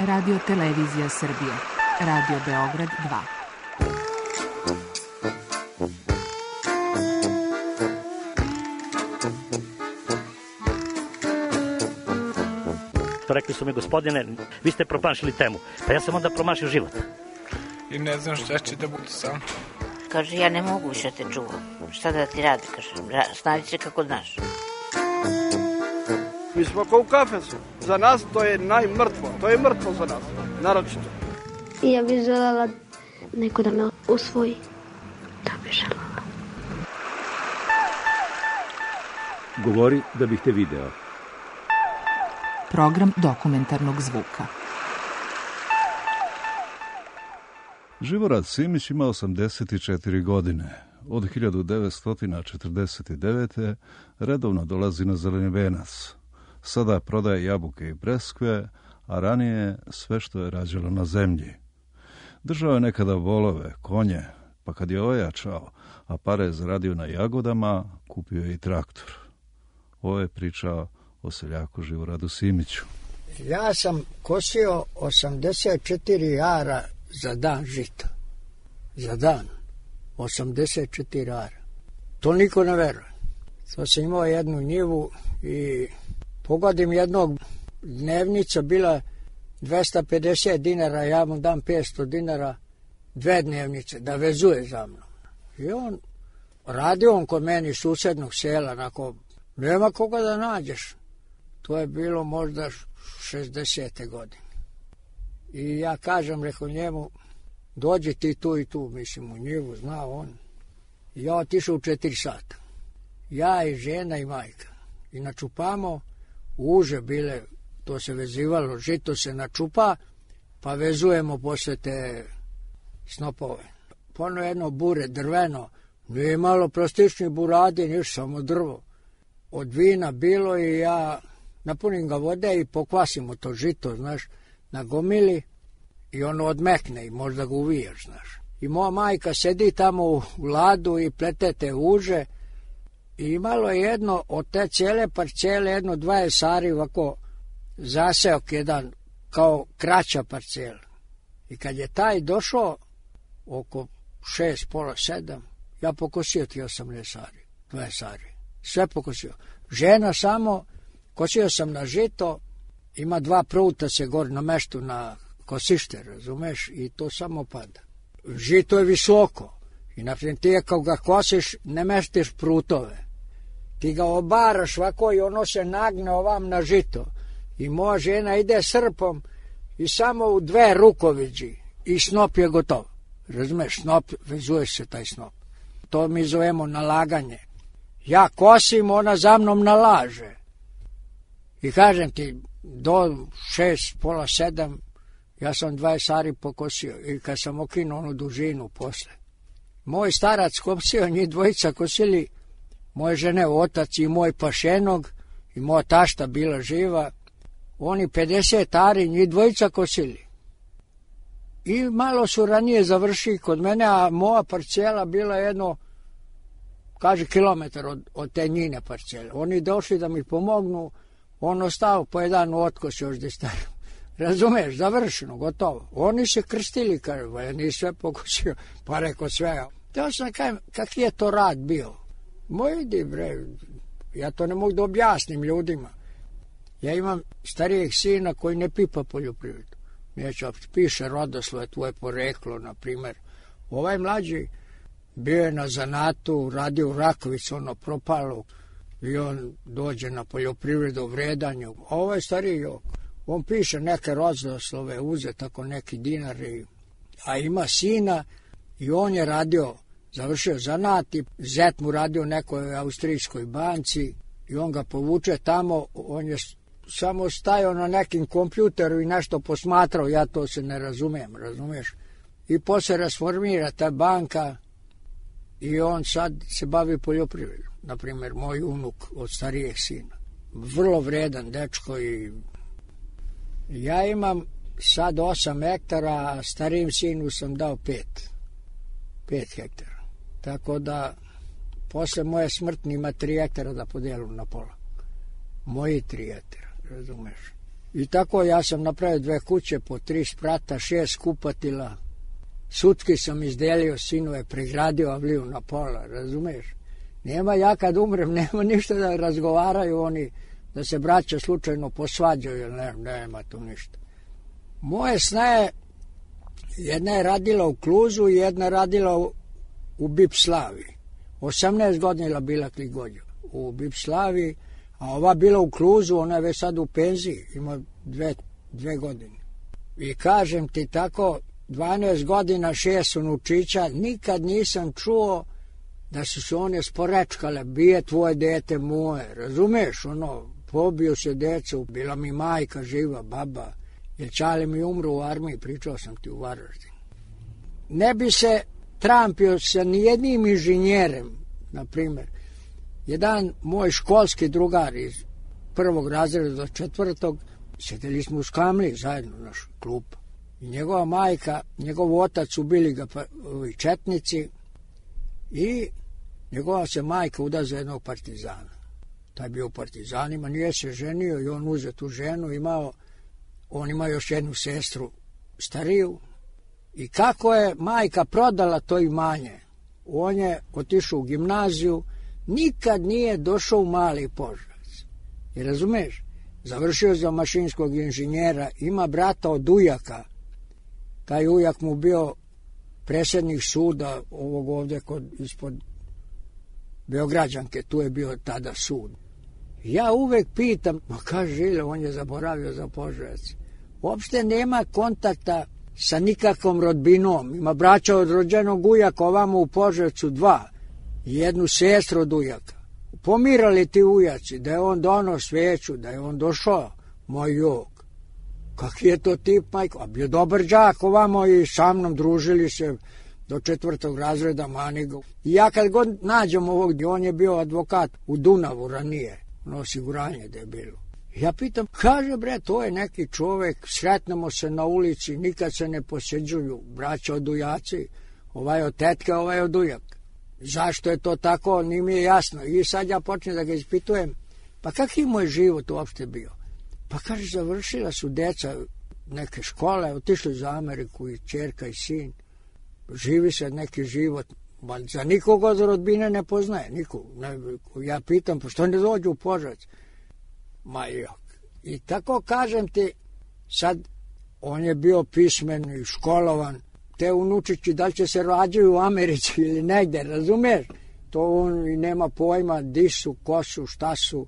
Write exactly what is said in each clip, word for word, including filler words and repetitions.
Radio Televizija Srbije. Radio Beograd dva. Rekli su mi, gospodine, vi ste promašili temu. Pa ja sam onda promašio život. I ne znam šta će da bude sam. Kaže, ja ne mogu više te čuvam. Šta da ti radi, kaže, snađi se kako znaš. Mi smo kao u kafesu. Za nas to je najmrtvo. To je mrtvo za nas, naročito. I ja bih željela neko da me usvoji. Da bih željela. Govori da bih te video. Program dokumentarnog zvuka. Živorad Simić ima osamdeset četiri godine. Od hiljadu devetsto četrdeset devete. redovno dolazi na Zeleni venac. Sada prodaje jabuke i breskve, a ranije sve što je rađalo na zemlji. Držao je nekada volove, konje, pa kad je ojačao, a pare zaradio na jagodama, kupio je i traktor. Ovo je pričao o seljaku Živoradu Simiću. Ja sam kosio osamdeset četiri ara za dan žita. Za dan. osamdeset četiri ara. To niko ne veruje. To sam imao jednu njivu i pogodim jednog, dnevnica bila dvesta pedeset dinara, ja mu dam petsto dinara, dve dnevnice, da vezuje za mnom. I on, radio on kod meni iz susednog sela, onako, nema koga da nađeš. To je bilo možda šezdesete godine. I ja kažem, rekao njemu, dođi ti tu i tu, mislim, u njivu, zna on. I ja otišao u četiri sata. Ja i žena i majka. I načupamo, uže bile, to se vezivalo, žito se načupa, pa vezujemo posle te snopove. Pono jedno bure, drveno, nije imalo plastični buradi, niš, samo drvo. Od vina bilo i ja napunim ga vode i pokvasimo to žito, znaš, na gomili i ono odmekne i možda ga uvijaš, znaš. I moja majka sedi tamo u ladu i plete te uže i imalo je jedno od te cijele parcele, jedno dvadeset sari ovako zaseok jedan kao kraća parcela. I kad je taj došao oko šest, pola sedam, ja pokosio ti osamnaest sari, dvadeset sari, sve pokosio. Žena samo, kosio sam na žito, ima dva pruta se gor na meštu na kosište, razumeš, i to samo pada. Žito je visoko i naprijed ti je kao ga kosiš, ne meštiš prutove. Ti ga obaraš ovako i ono se nagne ovam na žito. I moja žena ide srpom i samo u dve rukoviđi i snop je gotov. Razumeš, snop, vezuje se taj snop. To mi zovemo nalaganje. Ja kosim, ona za mnom nalaže. I kažem ti, do šest, pola sedam, ja sam dvadeset sari pokosio. I kad sam okinuo onu dužinu posle. Moj starac kosio, njih dvojica kosili, moje žene otac i moj pašenog, i moja tašta bila živa, oni pedeset ari, njih dvojica kosili. I malo su ranije završili kod mene, a moja parcela bila jedno, kaže, kilometar od, od te njine parcele. Oni došli da mi pomognu, on ostao po jedan otkos još gdje stavio. Razumeš, završeno, gotovo. Oni se krstili, kaže, ja nisam sve pokosio, pa rekao sve. Teo sam kajem, kak je to rad bio? Moj idi, bre, ja to ne mogu da objasnim ljudima. Ja imam starijeg sina koji ne pipa poljoprivredu. Neću, piše rodoslove, tvoje poreklo, na primjer. Ovaj mlađi bio je na zanatu, radio u Rakovicu, ono propalo, i on dođe na poljoprivredu, vredanju. A ovaj stariji jok, on piše neke rodoslove, uze tako neki dinari, a ima sina i on je radio, završio zanat i zet mu radio u nekoj austrijskoj banci i on ga povuče tamo, on je samo stajao na nekim kompjuteru i nešto posmatrao, ja to se ne razumijem, razumiješ? I posle rasformira ta banka i on sad se bavi poljoprivredom. Naprimjer, moj unuk od starijeg sina. Vrlo vredan dečko i ja imam sad osam hektara, a starijem sinu sam dao pet. Pet hektara. Tako da posle moje smrtni ima tri hektara da podijelu na pola. Moji tri hektara, razumeš? I tako ja sam napravio dve kuće po tri sprata, šest kupatila. Sutki sam izdelio, sinove pregradio avliju na pola, razumeš? Nema, ja kad umrem, nema ništa da razgovaraju oni, da se braća slučajno posvađaju, ne, nema tu ništa. Moje snaje, jedna je radila u Kluzu, jedna je radila u, u Bipslavi. osamnaest godina bila Kligođa u Bipslavi, a ova bila u Kluzu, ona je već sad u penziji, ima dve, dve godine. I kažem ti tako, dvanaest godina, šest unučića, nikad nisam čuo da su se one sporečkale, bije tvoje dete moje, razumeš, ono, pobio se decu, bila mi majka živa, baba, jer čale mi umru u armiji, pričao sam ti u Varaždinu. Ne bi se trampio sa nijednim inženjerem, na primjer. Jedan moj školski drugar iz prvog razreda do četvrtog, sjedili smo u Skamli zajedno, naš klub. I njegova majka, njegov otac ubili ga pa, ovi četnici i njegova se majka uda za jednog partizana. Taj bio u partizanima, nije se ženio i on uze tu ženu, imao, on ima još jednu sestru stariju. I kako je majka prodala to imanje, on je otišao u gimnaziju, nikad nije došao u Mali Požarevac. I razumeš, završio za mašinskog inženjera, ima brata od ujaka, taj ujak mu bio predsjednik suda ovog ovdje kod, ispod Beograđanke, tu je bio tada sud. Ja uvek pitam, ma kaže Žile, on je zaboravio za Požarevac. Uopšte nema kontakta sa nikakvom rodbinom. Ima braća od rođenog ujaka, ovamo u Požarevcu dva, i jednu sestru od ujaka. Pomirali ti ujaci, da je on donao sveću, da je on došao, moj jok. Kaki je to tip, majko? A bio dobar đak ovamo i sa mnom družili se do četvrtog razreda Manigo. I ja kad god nađem ovog, on je bio advokat u Dunavu ranije, ono osiguranje da je bilo. Ja pitam, kaže bre, to je neki čovek, sretnemo se na ulici, nikad se ne posjeđuju, braća od ujaci, ovaj od tetke, ovaj od ujak. Zašto je to tako, nije mi je jasno. I sad ja počnem da ga ispitujem, pa kak je moj život uopšte bio? Pa kaže, završila su deca neke škole, otišli za Ameriku i čerka i sin, živi se neki život, ba za nikoga od rodbine ne poznaje, nikog. Ne, ja pitam, pa što ne dođu u Požarevac? Ma jok. I tako kažem ti, sad on je bio pismen i školovan, te unučići da li će se rađaju u Americi ili negde, razumeš? To on i nema pojma, di su, ko su, šta su.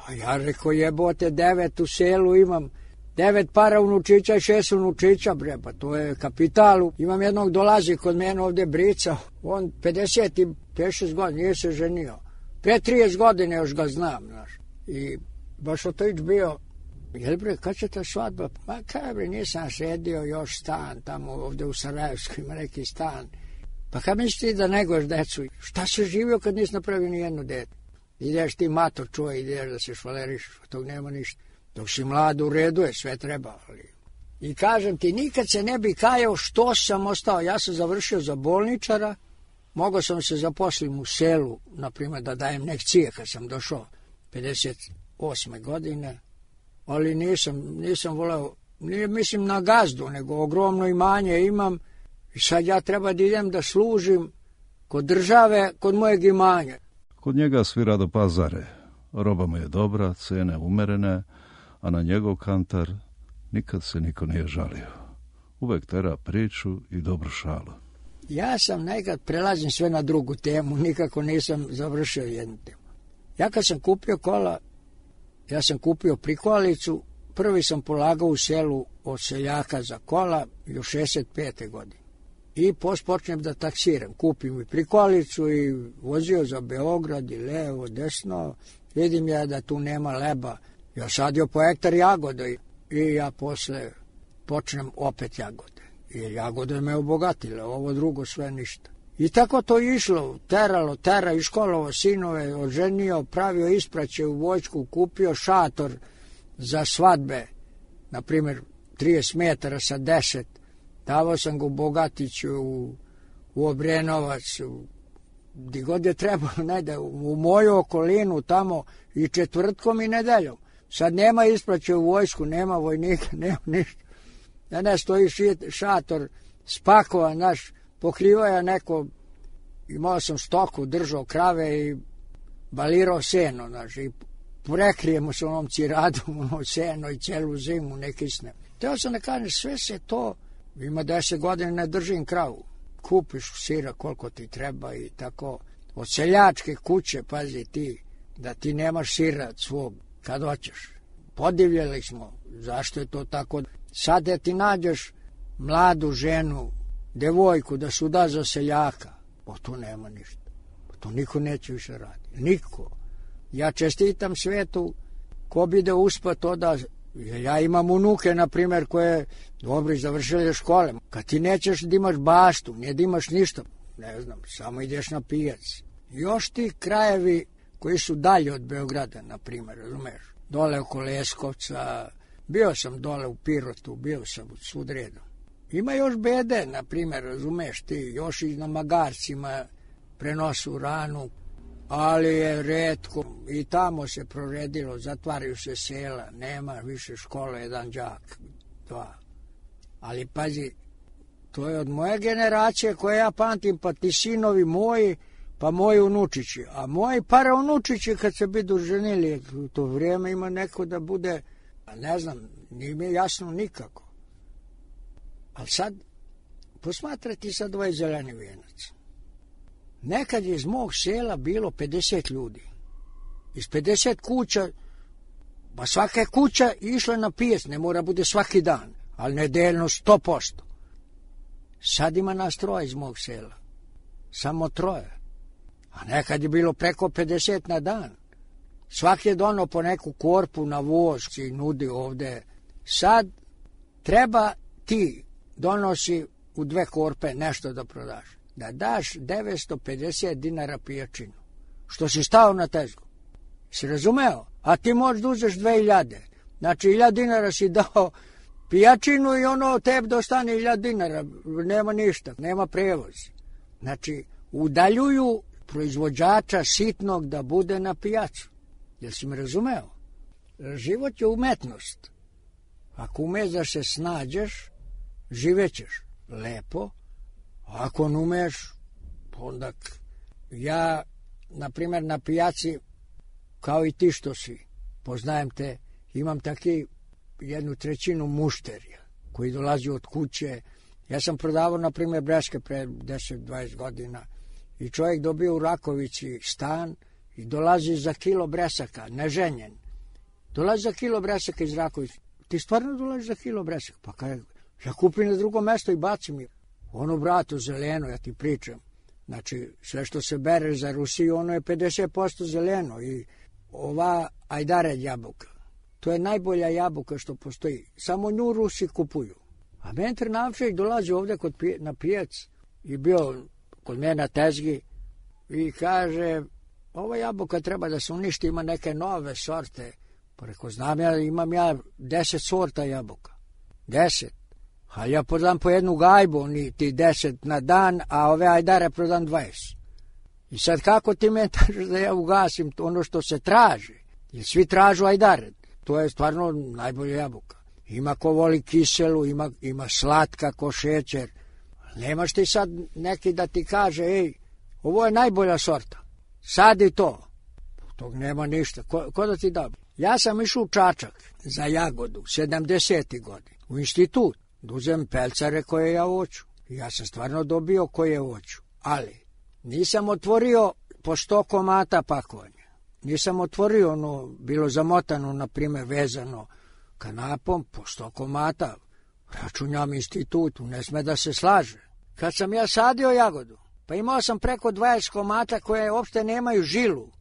A ja rekao, jebote, devet u selu imam, devet para unučića i šest unučića, bre, pa to je kapitalu. Imam jednog dolazi kod mene ovde Brica, on pedeset šest godina, nije se ženio. Pre trideset godine još ga znam, znaš. I baš otojić bio, jel bre, kad će ta svadba? Pa kaj bre, nisam sredio još stan, tamo ovde u Sarajevskoj ima neki stan. Pa kad misliš ti da neguješ decu? Šta se živio kad nisi napravio ni jednu dete? Ideš ti mator čuje, ideš da se švaleriš, tog nema ništa. Dok si mlad u redu je, sve treba. Ali. I kažem ti, nikad se ne bi kajao što sam ostao. Ja sam završio za bolničara, mogao sam se zaposlim u selu, na primjer da dajem lekcije kad sam došao pedeset osme godine, ali nisam, nisam voleo, nije mislim na gazdu, nego ogromno imanje imam i sad ja treba da idem da služim kod države, kod mojeg imanja. Kod njega svi rado pazare, roba mu je dobra, cene umerene, a na njegov kantar nikad se niko nije žalio. Uvek tera priču i dobru šalu. Ja sam nekad prelazim sve na drugu temu, nikako nisam završio jednu temu. Ja kad sam kupio kola, ja sam kupio prikolicu, prvi sam polagao u selu od seljaka za kola i u šezdeset pete godine. I počnem da taksiram, kupim i prikolicu i vozio za Beograd i levo, desno, vidim ja da tu nema leba. Ja sadio po hektar jagode i ja posle počnem opet jagode. Jer jagode me obogatile, ovo drugo sve ništa. I tako to išlo, teralo, tera, iškolovo sinove, oženio, pravio ispraće u vojsku, kupio šator za svadbe, na primjer trideset metara sa deset, davao sam ga u Bogatiću, u, u Obrenovac, u, gdje god je trebalo, najde, u moju okolinu tamo i četvrtkom i nedeljom. Sad nema ispraće u vojsku, nema vojnika, nema ništa. Da ne stoji šator spakovan, naš, pokrivaja neko, imao sam stoku, držao krave i balirao seno, znaš, i prekrijemo se onom ciradu, ono seno i celu zimu ne kisne. Teo sam da kažem, sve se to, ima deset godina ne držim kravu. Kupiš sira koliko ti treba i tako. Od seljačke kuće, pazi ti, da ti nemaš sira svog kad hoćeš. Podivljali smo, zašto je to tako. Sad da ti nađeš mladu ženu, devojku da su da za seljaka, o to nema ništa. To niko neće više raditi. Niko. Ja čestitam svetu ko bi da uspa to da... Ja imam unuke, na primjer, koje dobro završile škole. Kad ti nećeš da imaš baštu, nije da imaš ništa, ne znam, samo ideš na pijac. Još ti krajevi koji su dalje od Beograda, na primjer, razumeš? Dole oko Leskovca, bio sam dole u Pirotu, bio sam u svud redom. Ima još bede, na primjer, razumeš ti, još i na magarcima prenosu ranu, ali je retko i tamo se proredilo, zatvaraju se sela, nema više škole, jedan đak, dva. Ali pazi, to je od moje generacije koje ja pamtim, pa ti sinovi moji, pa moji unučići. A moji paraunučići kad se budu ženili, u to vrijeme ima neko da bude, ne znam, nije mi jasno nikako. Ali sad, posmatrati sad ovaj zeleni vijenac. Nekad je iz mog sela bilo pedeset ljudi. Iz pedeset kuća, pa svaka je kuća išla na pijac, ne mora bude svaki dan, ali nedeljno sto posto. Sad ima nas troje iz mog sela. Samo troje. A nekad je bilo preko pedeset na dan. Svaki je donao po neku korpu na voz i nudi ovde. Sad treba ti donosi u dve korpe nešto da prodaš. Da daš devetsto pedeset dinara pijačinu. Što si stao na tezgu. Si razumeo? A ti možeš da uzeš dve hiljade. Znači, hiljad dinara si dao pijačinu i ono tebi dostane hiljad dinara. Nema ništa, nema prevoz. Znači, udaljuju proizvođača sitnog da bude na pijacu. Jel si me razumeo? Život je umetnost. Ako umeš da se snađeš, živećeš lepo. Ako ne umeš, onda ja, na primjer, na pijaci, kao i ti što si, poznajem te, imam taki jednu trećinu mušterija koji dolazi od kuće. Ja sam prodavao, na primjer, breške pre deset dvadeset godina i čovjek dobio u Rakovici stan i dolazi za kilo bresaka, neženjen. Dolazi za kilo bresaka iz Rakovici. Ti stvarno dolazi za kilo bresaka? Pa kaj, ja kupim na drugo mesto i bacim je. Ono, bratu, zeleno, ja ti pričam. Znači, sve što se bere za Rusiju, ono je pedeset posto zeleno. I ova ajdared jabuka, to je najbolja jabuka što postoji. Samo nju Rusi kupuju. A meni Trnavčević dolazi ovde kod pije, na pijac i bio kod mene na tezgi i kaže, ova jabuka treba da se uništi, ima neke nove sorte. Pa reko, znam ja, imam ja deset sorta jabuka. Deset. A ja prodam po jednu gajbu, oni ti deset na dan, a ove ajdare prodam dvadeset. I sad kako ti me tražiš da ja ugasim ono što se traži? Jer svi tražu ajdare. To je stvarno najbolja jabuka. Ima ko voli kiselu, ima, ima slatka ko šećer. Nemaš ti sad neki da ti kaže, ej, ovo je najbolja sorta. Sadi to. Tog nema ništa. Ko, ko da ti da? Ja sam išao u Čačak za jagodu, sedamdesetih godina, u institut. Da uzem pelcare koje ja hoću. Ja sam stvarno dobio koje hoću. Ali nisam otvorio po sto komata pakovanja. Nisam otvorio ono, bilo zamotano, na primjer, vezano kanapom, po sto komata. Računjam institutu, ne sme da se slaže. Kad sam ja sadio jagodu, pa imao sam preko dvadeset komata koje uopšte nemaju žilu.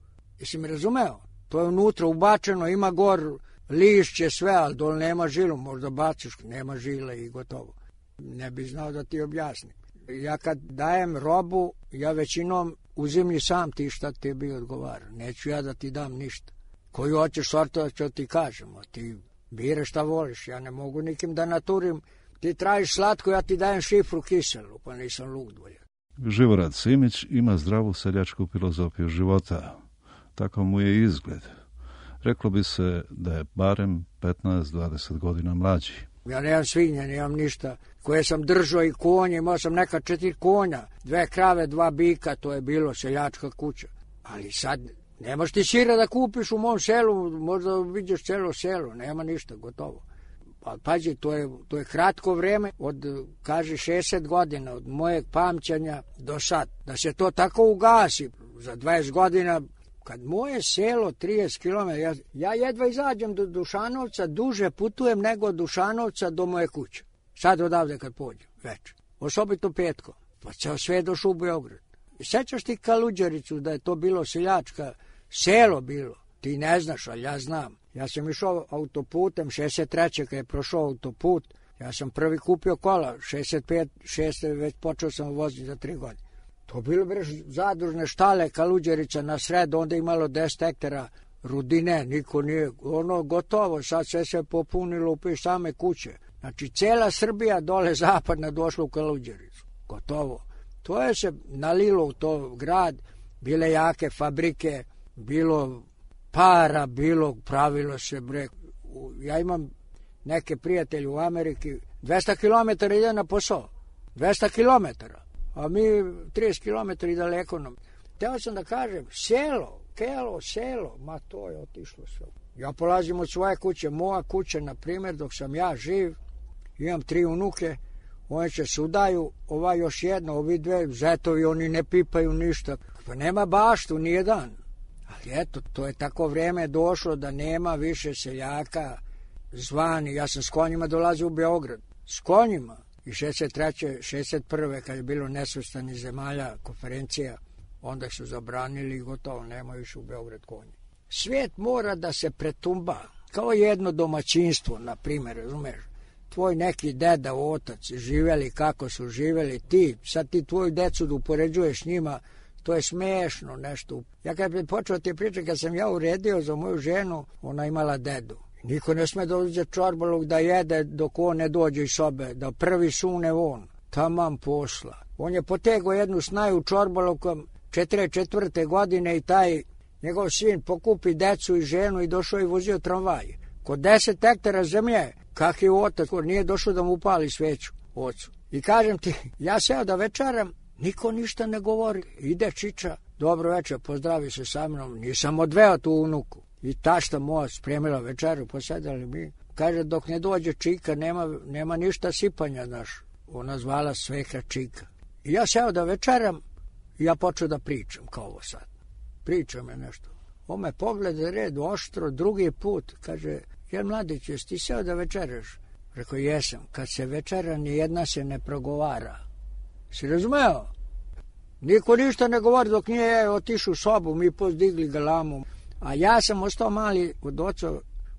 Jesi mi razumeo? To je unutra ubačeno, ima gor lišće, sve, ali dole nema žilu, možda baciš, nema žile i gotovo. Ne bi znao da ti objasnim. Ja kad dajem robu, ja većinom uzimlji sam ti šta ti bi odgovara. Neću ja da ti dam ništa. Koju hoćeš sortu, da ću ti kažem, a ti bire šta voliš, ja ne mogu nikim da naturim. Ti tražiš slatko, ja ti dajem šifru kiselu, pa nisam lud volja. Živorad Simić ima zdravu seljačku filozofiju života. Tako mu je izgled. Reklo bi se da je barem petnaest do dvadeset godina mlađi. Ja nemam svinja, nemam ništa. Koje sam držao i konje, imao sam neka četiri konja, dve krave, dva bika, to je bilo seljačka kuća. Ali sad, nemaš ti sira da kupiš u mom selu, možda vidiš celo selo, nema ništa, gotovo. Pa pazi, to je, to je kratko vreme, od, kaži, šezdeset godina, od mojeg pamćanja do sad. Da se to tako ugasi, za dvadeset godina, kad moje selo trideset kilometara, ja, ja jedva izađem do Dušanovca, duže putujem nego od Dušanovca do moje kuće. Sad odavde kad pođem, večer. Osobito petko. Pa ceo sve došao u Beograd. I sećaš ti Kaluđericu da je to bilo seljačka, selo bilo. Ti ne znaš, ali ja znam. Ja sam išao autoputem, šezdeset treće kad je prošao autoput, ja sam prvi kupio kola, šezdeset pet, šeste već počeo sam voziti za tri godine. To bilo breš zadružne štale Kaluđerica na sred, onda imalo deset hektara rudine, niko nije, ono gotovo, sad sve se popunilo u same kuće. Znači, cela Srbija dole zapadna došla u Kaluđericu, gotovo. To je se nalilo u to grad, bile jake fabrike, bilo para, bilo pravilo se, bre. Ja imam neke prijatelje u Ameriki, dvesta kilometara ide na posao, dvesta kilometara, a mi trideset kilometara i daleko nam. Teo sam da kažem, selo, kelo, selo, ma to je otišlo sve. Ja polazim od svoje kuće, moja kuća, na primjer, dok sam ja živ, imam tri unuke, oni će se udaju, ova još jedna, ovi dve, zetovi, oni ne pipaju ništa. Pa nema baštu, nije dan. Ali eto, to je tako vreme došlo da nema više seljaka zvani. Ja sam s konjima dolazio u Beograd. S konjima. I šezdeset treće, šezdeset prve kad je bilo nesvrstanih zemalja konferencija, onda su zabranili i gotovo, nema više u Beograd konji. Svijet mora da se pretumba. Kao jedno domaćinstvo, na primjer, razumeš? Tvoj neki deda, otac, živeli kako su živeli ti, sad ti tvoju decu da upoređuješ njima, to je smešno nešto. Ja kad bi počeo ti pričati, kad sam ja uredio za moju ženu, ona imala dedu. Niko ne sme da uđe čorbalog da jede dok on ne dođe iz sobe, da prvi sune on. Tamam posla. On je potegao jednu snaju čorbalokom četrdeset četvrte godine i taj njegov sin pokupi decu i ženu i došao i vozio tramvaj. Kod deset hektara zemlje, kak je otac, nije došao da mu upali sveću ocu. I kažem ti, ja seo da večeram, niko ništa ne govori. Ide čiča, dobro večer, pozdravi se sa mnom, nisam odveo tu unuku. I tašta moja spremila večeru, posedali mi. Kaže, dok ne dođe čika, nema, nema ništa sipanja, naš. Ona zvala sveka čika. I ja seo da večeram, i ja počeo da pričam, kao ovo sad. Pričam je nešto. On me pogleda red oštro, drugi put, kaže, jel mladić, jesi ti seo da večeraš? Rekao, jesam. Kad se večera, nijedna se ne progovara. Si razumeo? Niko ništa ne govori dok nije otišao u sobu, mi pozdigli galamu. A ja sam ostao mali od oca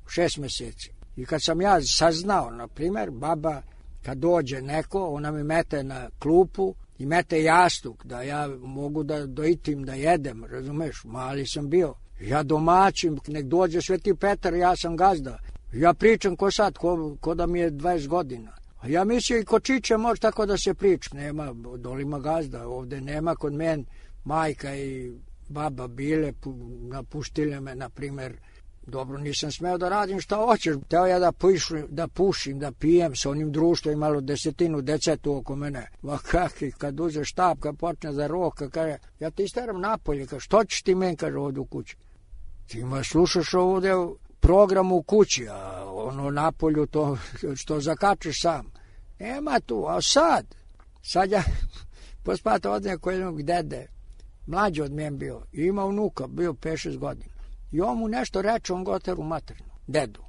šest meseci. I kad sam ja saznao, na primjer, baba, kad dođe neko, ona mi mete na klupu i mete jastuk, da ja mogu da doitim, da jedem, razumeš, mali sam bio. Ja domaćim, nek dođe Sveti Petar, ja sam gazda. Ja pričam ko sad, ko, ko da mi je dvadeset godina. A ja mislim i kod Čiče može tako da se priča. Nema, dolima gazda, ovde nema kod men majka i baba bile, napustile me, na primjer. Dobro, nisam smeo da radim šta hoćeš. Teo ja da pušim, da pušim, da pijem sa onim društvom, imalo desetinu decetu oko mene. Ma kaki, kad uze štab, kad počne za roka, kaže, ja ti isteram napolje, kaže, što ćeš ti men, kaže, ovdje u kući? Ti ma slušaš ovdje program u kući, a ono napolju to što zakačeš sam. Nema tu, a sad, sad ja pospata od nekog jednog dede, mlađi od mjen bio, i ima unuka, bio pet šest godina. I on mu nešto reče, on goteru maternu, dedu.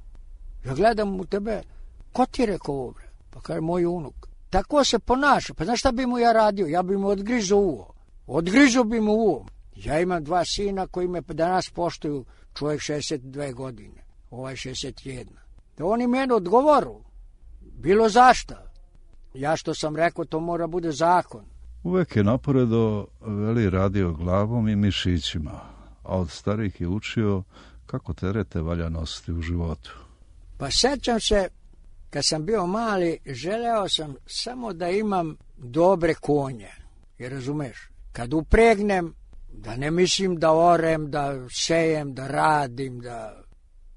Ja gledam u tebe, ko ti je rekao ovo, bre? Pa kaže, moj unuk. Tako se ponaša, pa znaš šta bi mu ja radio? Ja bi mu odgrizao uvo. Odgrizao bi mu uvo. Ja imam dva sina koji me danas poštuju, čovjek šezdeset dve godine, ovaj šezdeset jedna. Da oni meni odgovoru, bilo zašta. Ja što sam rekao, to mora bude zakon. Uvek je naporedo veli radio glavom i mišićima, a od starih je učio kako terete valja nositi u životu. Pa sećam se, kad sam bio mali, želeo sam samo da imam dobre konje. Jer razumeš, kad upregnem, da ne mislim da orem, da sejem, da radim, da...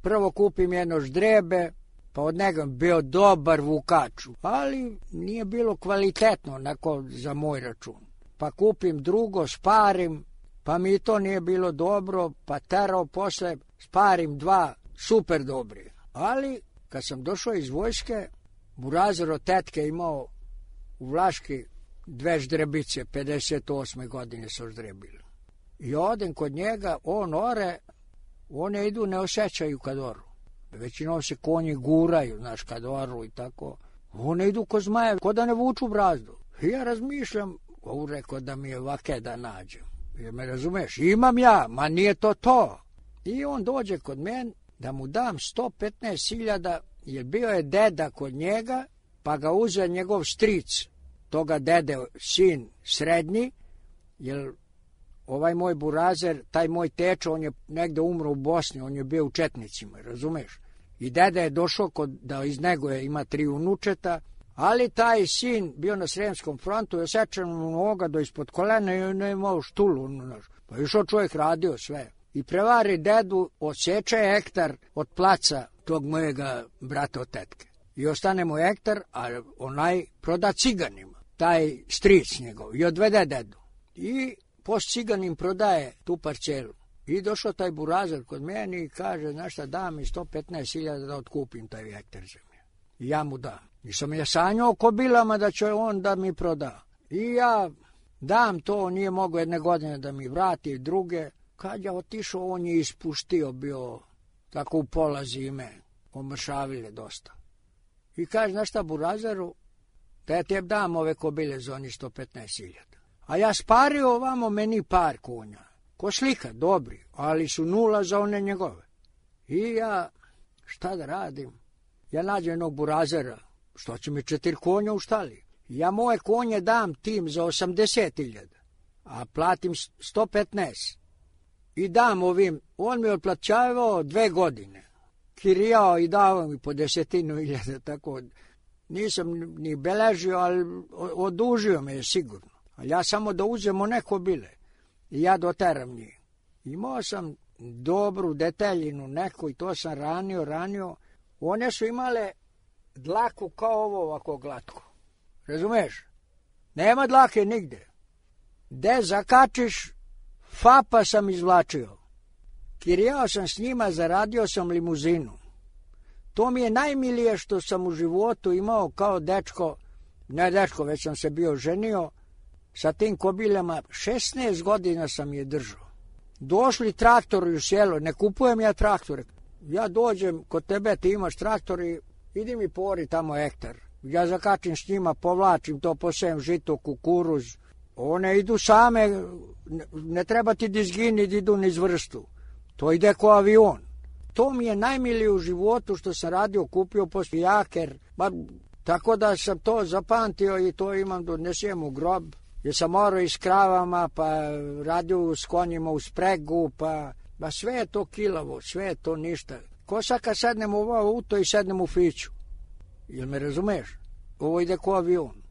prvo kupim jedno ždrebe, pa od njega bio dobar vukač, ali nije bilo kvalitetno onako za moj račun. Pa kupim drugo, sparim, pa mi to nije bilo dobro, pa terao posle, sparim dva, super dobri. Ali kad sam došao iz vojske, Burazir od tetke imao u Vlaški dve ždrebice, pedeset osme godine su ždrebili. I odem kod njega, on ore, one idu, ne osjećaju kad oru. Većinom se konji guraju, znaš, kad oru i tako. One idu ko zmaje, ko da ne vuču brazdu. I ja razmišljam, ovo rekao da mi je vake da nađem. Jer me razumeš, imam ja, ma nije to to. I on dođe kod mene da mu dam sto petnaest hiljada, jer bio je deda kod njega, pa ga uzeo njegov stric, toga dede, sin srednji, jer ovaj moj Burazer, taj moj tečo, on je negde umro u Bosni, on je bio u Četnicima, razumeš? I deda je došao kod, da iz nego je, ima tri unučeta, ali taj sin bio na Sremskom frontu, je osjećan mu noga do ispod kolena i on je imao štulu. Pa je išao čovjek, radio sve. I prevari dedu, odseče hektar od placa tog mojega brata od tetke. I ostane mu hektar, a onaj proda ciganima, taj stric njegov, i odvede dedu. I post ciganim prodaje tu parcelu. I došao taj Burazer kod mene i kaže, znaš šta, da mi sto petnaest hiljada da otkupim taj hektar zemlje. I ja mu dam. I sam ja sanjao o kobilama da će on da mi proda. I ja dam to, nije mogo jedne godine da mi vrati, druge. Kad ja otišao, on je ispuštio, bio tako u pola zime, omršavile dosta. I kaže, znaš šta, Burazeru, da ja tebi dam ove kobile za oni sto petnaest hiljada. A ja spario ovamo meni par konja. Ko slika, dobri, ali su nula za one njegove. I ja, šta da radim? Ja nađem jednog Burazera, što će mi četiri konja u štali. Ja moje konje dam tim za osamdeset hiljada, a platim sto petnaest. I dam ovim, on mi je otplaćavao dve godine. Kirijao i davao mi po desetinu hiljada, tako. Nisam ni beležio, ali odužio me je sigurno. Ali ja samo da uzemo neko bile. I ja doteram njih. Imao sam dobru deteljinu neku i to sam ranio, ranio. One su imale dlaku kao ovo ovako glatko. Razumeš? Nema dlake nigde. De zakačiš, fapa sam izvlačio. Kirijao sam s njima, zaradio sam limuzinu. To mi je najmilije što sam u životu imao kao dečko, ne dečko, već sam se bio ženio, sa tim kobiljama, šesnaest godina sam je držao. Došli traktori u selo, ne kupujem ja traktore. Ja dođem kod tebe, ti imaš traktor i idi mi pori tamo hektar. Ja zakačim s njima, povlačim to, posejem žito, kukuruz. One idu same, ne treba ti da izgini, da idu niz vrstu. To ide ko avion. To mi je najmilije u životu što sam radio, kupio poslije jaker. Ba, tako da sam to zapamtio i to imam, donesem u grob. Jer sam morao i s kravama, pa radio s konjima u spregu, pa, pa sve je to kilavo, sve je to ništa. Ko sad kad sednem u ovo auto i sednem u Fiću? Jel me razumeš? Ovo ide ko avion.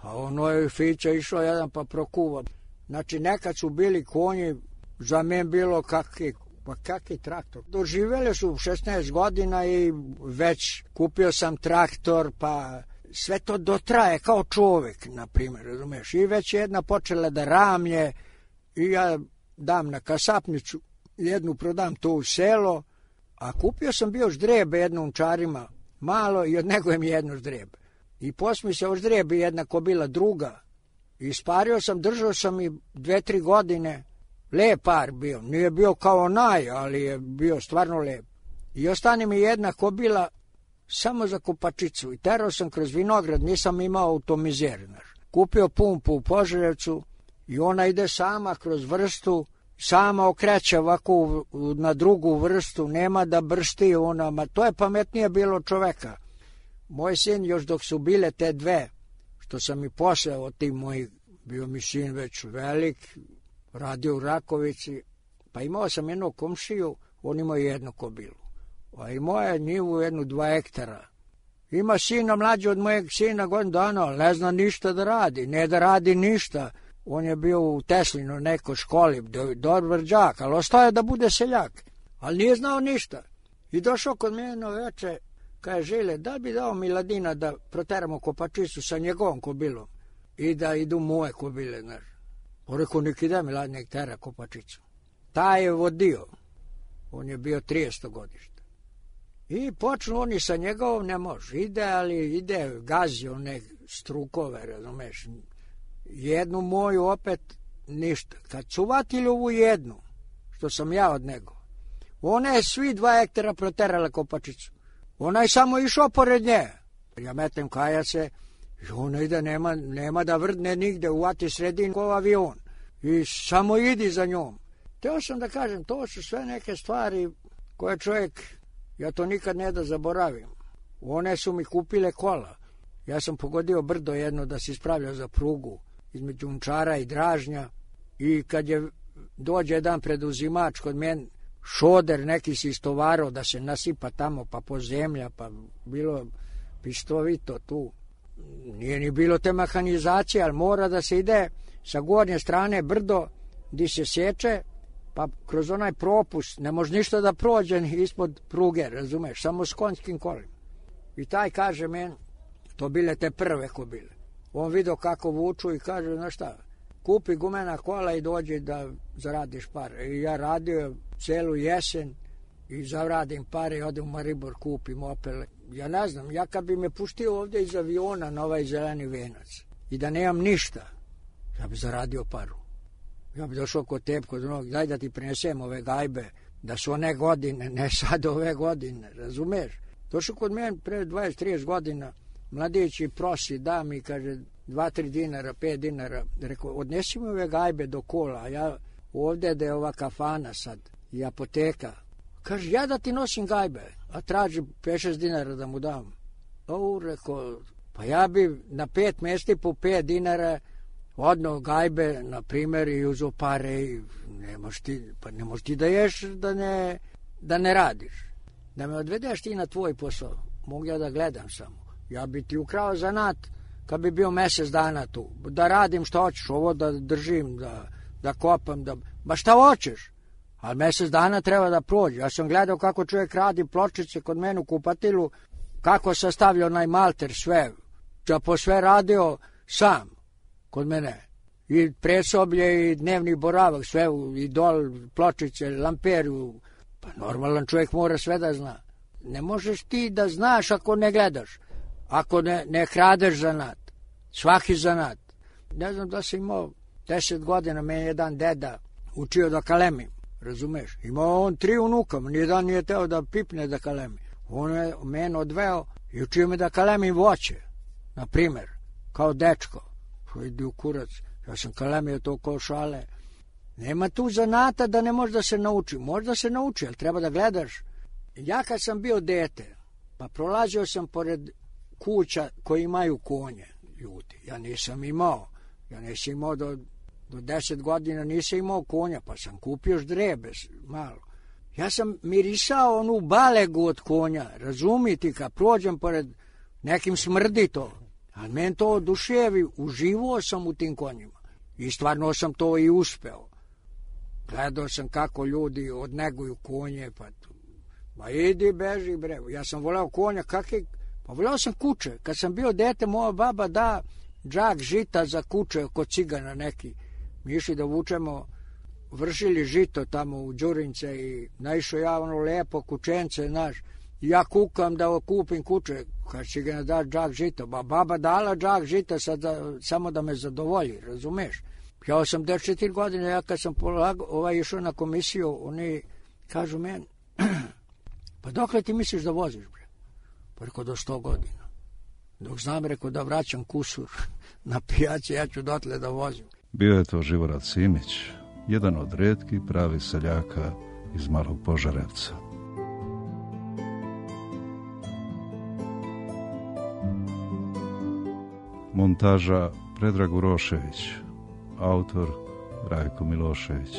A ono je Fića išao jedan pa prokuva. Znači nekad su bili konji, za men bilo kakvi, pa kakvi traktor. Doživjeli su šesnaest godina i već kupio sam traktor, pa sve to dotraje kao čovjek, na primjer, razumeš. I već jedna počela da ramlje i ja dam na kasapnicu, jednu prodam to u selo, a kupio sam bio ždrebe jednom čarima, malo i od nego je mi jedno ždrebe. I posmi se oždrebi jedna kobila druga. I spario sam, držao sam i dve, tri godine. Lep par bio. Nije bio kao onaj, ali je bio stvarno lep. I ostane mi jedna kobila samo za kupačicu. I terao sam kroz vinograd, nisam imao automizer. Kupio pumpu u Požarevcu i ona ide sama kroz vrstu, sama okreće ovako na drugu vrstu, nema da bršti ona. Ma to je pametnije bilo čoveka. Moj sin, još dok su bile te dve, što sam i posle od tim mojih, bio mi sin već velik, radio u Rakovici, pa imao sam jednu komšiju, on imao jednu kobilu. A i moja njivu jednu dva hektara. Ima sina mlađi od mojeg sina godinu dana, ali ne zna ništa da radi, ne da radi ništa. On je bio u Teslinu nekoj školi, dobar đak, ali ostao je da bude seljak, ali nije znao ništa. I došao kod mene veče, kaže, Žile, da bi dao Miladina da proteramo Kopačicu sa njegovom kobilom i da idu moje kobile, znaš. On rekao, nek ide Miladin, nek tera Kopačicu. Taj je vodio, on je bio trideseto godište. I počnu oni sa njegovom, ne može, ide, ali ide, gazi one strukove, razumeš. Jednu moju opet ništa. Kad su vatili ovu jednu, što sam ja od nego, ona je svi dva hektara proterala Kopačicu. Ona je samo išao pored nje. Ja metem kaja se, i ona ide, nema, nema da vrdne nigde, uvati sredin ko avion. I samo idi za njom. Teo sam da kažem, to su sve neke stvari koje čovjek, ja to nikad ne da zaboravim. One su mi kupile kola. Ja sam pogodio brdo jedno da se ispravljao za prugu između Unčara i Dražnja. I kad je dođe jedan preduzimač kod mene, šoder neki si istovarao da se nasipa tamo, pa po zemlja, pa bilo pistovito tu. Nije ni bilo te mehanizacije, ali mora da se ide sa gornje strane brdo gdje se sječe, pa kroz onaj propust ne može ništa da prođe ispod pruge, razumeš, samo s konjskim kolima. I taj kaže meni, to bile te prve kobile. On vidio kako vuču i kaže, znaš šta, kupi gumena kola i dođi da zaradiš pare. I ja radio celu jesen i zaradim pare i odem u Maribor, kupim Opel. Ja ne znam, ja kad bi me puštio ovdje iz aviona na ovaj zeleni venac i da nemam ništa, ja bi zaradio paru. Ja bi došao kod tebe, kod onog, daj da ti prinesem ove gajbe, da su one godine, ne sad ove godine, razumeš? Došao kod mene pre dvadeset trideset godina, mladić i prosi, da mi, kaže, dva tri dinara, pet dinara. Rekao, odnesi mi ove gajbe do kola, a ja ovdje da je ova kafana sad i apoteka. Kaže, ja da ti nosim gajbe, a traži pet šest dinara da mu dam. O, rekao, pa ja bi na pet mjesti po pet dinara odno gajbe, na primjer, i uzo pare i ne možeš ti, pa ne možeš ti da ješ da ne, da ne radiš. Da me odvedeš ti na tvoj posao, mogu ja da gledam samo. Ja bi ti ukrao zanat kad bi bio mjesec dana tu. Da radim što hoćeš, ovo da držim, da, da kopam, da, ba šta hoćeš. Ali mjesec dana treba da prođe. Ja sam gledao kako čovjek radi pločice kod mene u kupatilu, kako sastavlja onaj malter sve. Ja po sve radio sam kod mene. I presoblje i dnevni boravak, sve, i dol, pločice, lamperu. Pa normalan čovjek mora sve da zna. Ne možeš ti da znaš ako ne gledaš. Ako ne, ne kradeš zanat, svaki zanat. Ne znam da sam imao deset godina, meni jedan deda učio da kalemim, razumeš? Imao on tri unuka, nijedan nije teo da pipne da kalemi. On je meni odveo i učio me da kalemim voće, na primjer, kao dečko. Idi u kurac, ja sam kalemio to kao šale. Nema tu zanata da ne može da se nauči. Može da se nauči, ali treba da gledaš. Ja kad sam bio dete, pa prolazio sam pored kuća koji imaju konje, ljudi. Ja nisam imao. Ja nisam imao do, do deset godina, nisam imao konja, pa sam kupio ždrebe malo. Ja sam mirisao onu balegu od konja, razumiti, kad prođem pored nekim smrdi to. A meni to oduševi, uživao sam u tim konjima. I stvarno sam to i uspeo. Gledao sam kako ljudi odneguju konje, pa tu. Ma idi, beži, bre. Ja sam voleo konja, kakve... Pa voleo sam kuće. Kad sam bio dete, moja baba da džak žita za kuće kod cigana neki. Mi išli da vučemo, vršili žito tamo u Đurince i naišao ja ono lepo kućence, znaš. I ja kukam da kupim kuće, kad će ga da džak žita. Ba baba dala džak žita sad da, samo da me zadovolji, razumeš? Ja osamdeset četiri godine, ja kad sam polago, ovaj išao na komisiju, oni kažu meni, pa dokle ti misliš da voziš, bre? Pa rekao, do sto godina. Dok znam, rekao, da vraćam kusur na pijaci, ja ću dotle da vozim. Bio je to Živorad Simić, jedan od retkih pravi seljaka iz Malog Požarevca. Montaža Predrag Urošević, autor Rajko Milošević.